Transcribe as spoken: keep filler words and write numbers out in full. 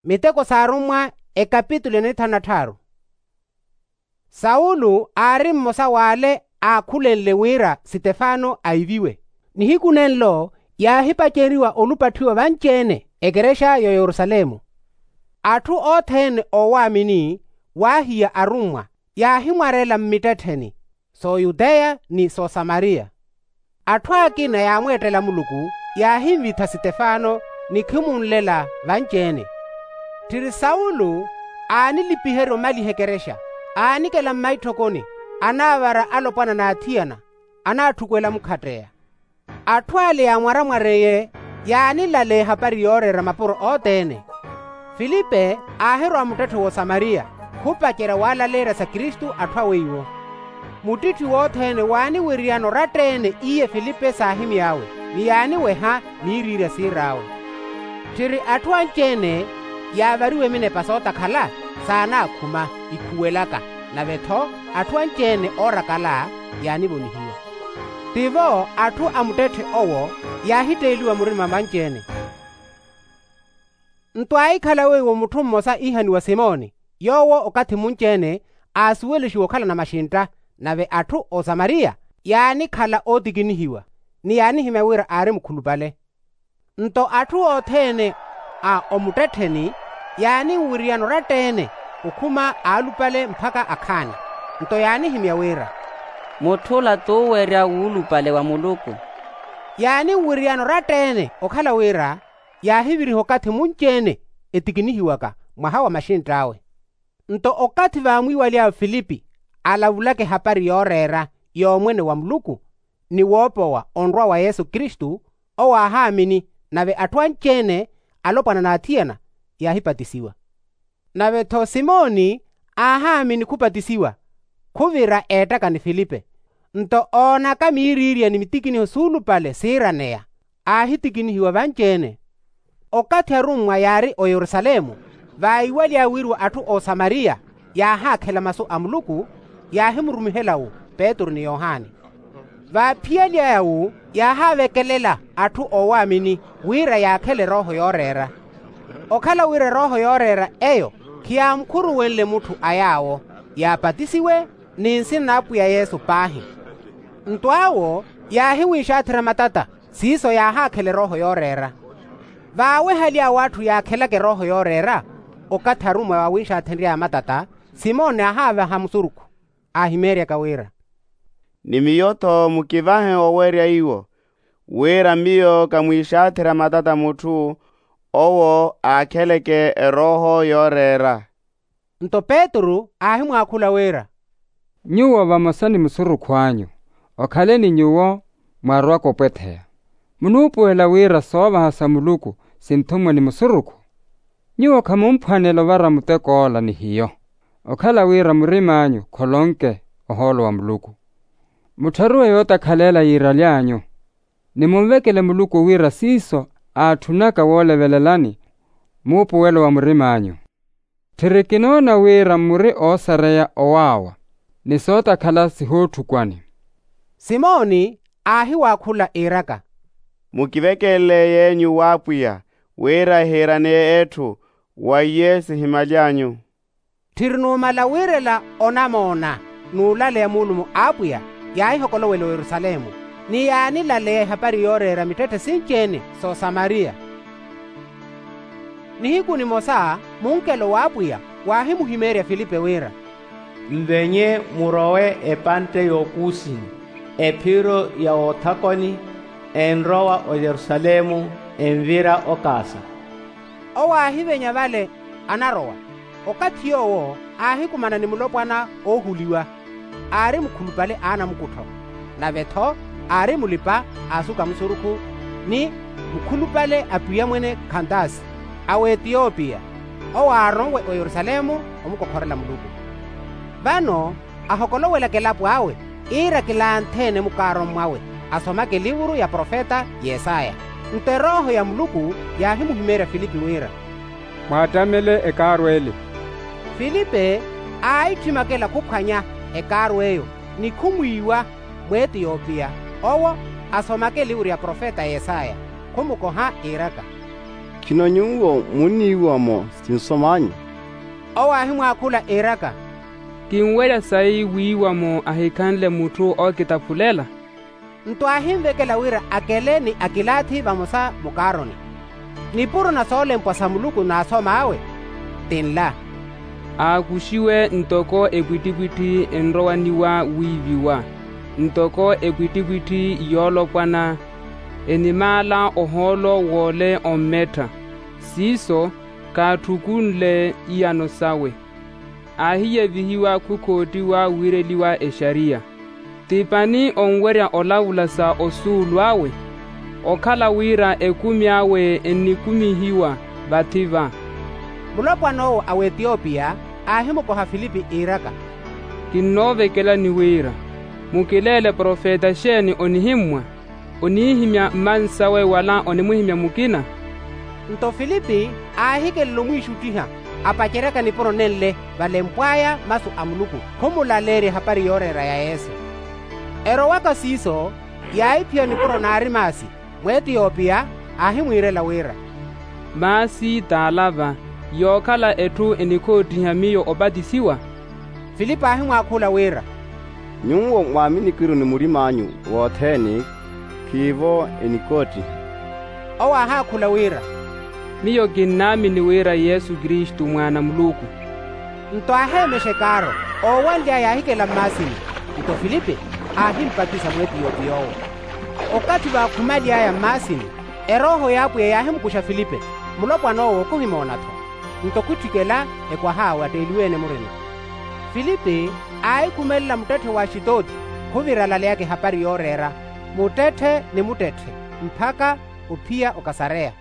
Miteko s'arummwa, ekapitulo ya nithanu na tthaaru. Sawulu aari mmosa w'ale aakhulenle wira sitefano aiviwe. Nihiku nenlo yaahipaceriwa olupatthiwa vanci-ene ekerexa y'oyerusalemu. Atthu othene oowaamini waahiya arummwa, yaahimwarela mmittettheni, s'oyuteya ni s'osamariya. Atthu akina yaamweettela muluku, yaahinvitha sitefano ni khimunlela vanci-ene. Tthiri sawulu aanilipiherya omaliha ekerexa, aanikela mmaitthokoni, anaavara alopwana n'athiyana, anaatthukwela mukhatteya. Atthu ale yaamwaramwareye yaanilaleya ehapari yooreera mapuro othene. Filipe aahirwa muttetthe w'osamariya, khupacerya waalaleerya sa kristu atthu awe iwo. Muttitthi wothene waaniwiriyana oratta-ene iye filipe saahimy'awe, ni yaaniweha miiriirya siir'awe. Tthiri atthu anci-ene yaavariwe minepa sootakhala, saanaakhuma ikhuwelaka, nave-tho atthu anci-ene oorakala yaanivonihiwa. Tivo atthu a muttetthe owo yaahitteeliwa murima vanci-ene. Nto aahikhala weiwo mutthu mmosa iihaniwa simoni, yoowo okathi munci-ene aasuwelexiwa okhala namaxintta, nave atthu osamariya yaanikhala ootikinihiwa, ni yaanihimya wira aari mukhulupale. Nto atthu othene a omuttettheni yaaninwiriyana oratta-ene, okhuma aalupale mpakha akhaani. Nto yaanihimya wira, mutth'ula t'uwerya wuulupale wa muluku. Yaaniwiriyana oratta-ene okhala wira yaahiviriha okathi munci-ene etikinihiwaka mwaha wa maxintt'awe. Nto okathi vaamwiiwaly'awe filipi alavulaka ehapari yooreera y'omwene wa muluku, ni woopowa onrwa wa yesu kristu, owo aahaamini, nave atthu anci-ene alopwana n'athiyana yaahipatisiwa. Nave-tho simoni aahaamini khupatisiwa, khuvira eettaka ni filipe. Nto oonaka miiriirya ni mitikiniho suulupale siiraneya, aahitikinihiwa vanci-ene. Okathi arummwa yaari oyerusalemu, vaayiwaly'awe wiriwa atthu osamariya yaahaakhela masu a muluku, yaahimurumihela-wu petru ni yohani. Vaaphiyaly'aya-wu yaahaavekelela atthu oowaamini wira yaakhele erooho yooreera. Okhala wira erooho yooreera eyo khiyaamukhuruwenle mutthu a yaawo, yaapatisiwe ni nsina n'apwiya yesu paahi. Nto awo yaahiwinxaatherya matata, siiso yaahaakhela erooho yooreera. Vaawehaly'awe atthu yaakhelaka erooho yooreera, okathi arummwa vaawinxaathenry'aya matata, simoni aahaavaha musurukhu, aahimeeryaka wira, ni miyo-tho mukivahe owerya iwo, wira miyo kamwiixaatherya matata mutthu owo aakheleke erooho yooreera. Nto petru aahimwaakhula wira, nyuwo vamosa ni musurukhu anyu, okhale ni nyuwo mwarwaka opwetheya. Munuupuwela wira soovaha sa muluku sinthummwe ni musurukhu? Nyuwo khamumphwanela ovara mutek'ola ni hiyo, okhala wira murim'anyu kholonke ohoolo wa muluku. Muttharuwe yootakhalela yiiraly'anyu, ni munvekele muluku wira siiso aatthunaka woolevelelani muupuwelo wa murim'anyu. Tthiri kinoona wira muri oosareya owaawa, ni sootakhala sihootthukwane. Simoni aahiwaakhula iiraka, mukivekelele yenyu w'apwiya, wira ehiiraneye etthu wa iye sihimaly'anyu. Tthiri numala wiirela onamoona n'ulaleya muulumo a apwiya, yaahihokolowela oyerusalemu, ni yaanilaleya ehapari yooreera mittetthe sinci-ene s'osamariya. Nihiku nimosa munkelo w'apwiya waahimuhimeerya filipe wira, nvenye murowe epantte y'okuusiha, ephiro ya wothakoni, enrowa oyerusalemu, envira okaasa. Owo aahivenya vale anarowa. Okathi yoowo aahikumana ni mulopwana oohuliwa, aari mukhulupale a anamukuttho, nave-tho aari mulipa a asuka musurukhu, ni mukhulupale a pwiya mwene khantasi, a w'etiyopiya. Owo aaronwe oyerusalemu omukokhorela muluku. Vano ahokolowelaka elapo awe, iira kilantheene mukaaro mmwawe, asomake elivuru ya profeta yesaya. Nto erooho ya muluku yaahimuhimeerya filipe wira, mwaattamele ekaaro ele. Filipe aahitthimaka ela khuphwanya ekaaro eyo, ni khumwiiwa mw'etiyopiya, owo asomaka elivuru ya profeta yesaya, khumukoha iiraka, Khino nyuwo munniiwa-mo sinsom'anyu? Owo aahimwaakhula iiraka, kinwerya sayi wiiwa-mo ahikhanle mutthu ookitaphulela. Nto aahinvekela wira akele ni akilaathi vamosa mukaaroni. Nipuro na soolempwa sa muluku naasom'awe ti nla, aakuxiwe ntoko epwittipwitthi enrowaniwa wiiviwa, ntoko epwittipwitthi yoolopwana enimaala ohoolo w'ole ommettha. Siiso kaatthukunle iyano sawe. Aahiyevihiwa khukhoottiwa wiireliwa exariya. Ti pani onwerya olavula sa osuulu awe? Okhala wira ekumi awe ennikumihiwa vathi-va. Mulopwan'owo a w'etiyopiya aahimukoha filipi iiraka, kinnoovekelani wira mukileele profeta xeeni onihimmwa? Oniihimya mmansawe wala onimuhimya mukina? Nto filipi aahikelela omwiixuttiha apaceryaka nipuro nenle valempw'aya masu a muluku khumulaleerya ehapari yooreera ya yesu. Erowaka siiso yaahiphiya nipuro n'arimasi mw'etiyopiya aahimwiirela wira, maasi t'ala-va yookhala etthu enikhoottiha miyo opatisiwa? Filipi aahimwaakhula wira, nyuwo mwaaminiki-ru ni murim'anyu wothene, khiivo enikhoottiha. Owo aahaakhula wira, miyo kinnaamini wira yesu kristu mwaana a muluku. Nto aaheemexa ekaaro oowanly'aya aahikela mmaasini. Nto filipi aahimpatisa mw'etiyopiya owo. Okathi vaakhumaly'aya mmaasini, erooho y'apwiya yaahimukuxa filipi, mulopwan'owo khuhimoona-tho. Nto khutthikela ekwaha watteeliwe-ene murima. Filipi aahikhumelela muttetthe w'axitooti, khuviralaly'aka ehapari yooreera muttetthe ni muttetthe mpakha ophiya okasareya.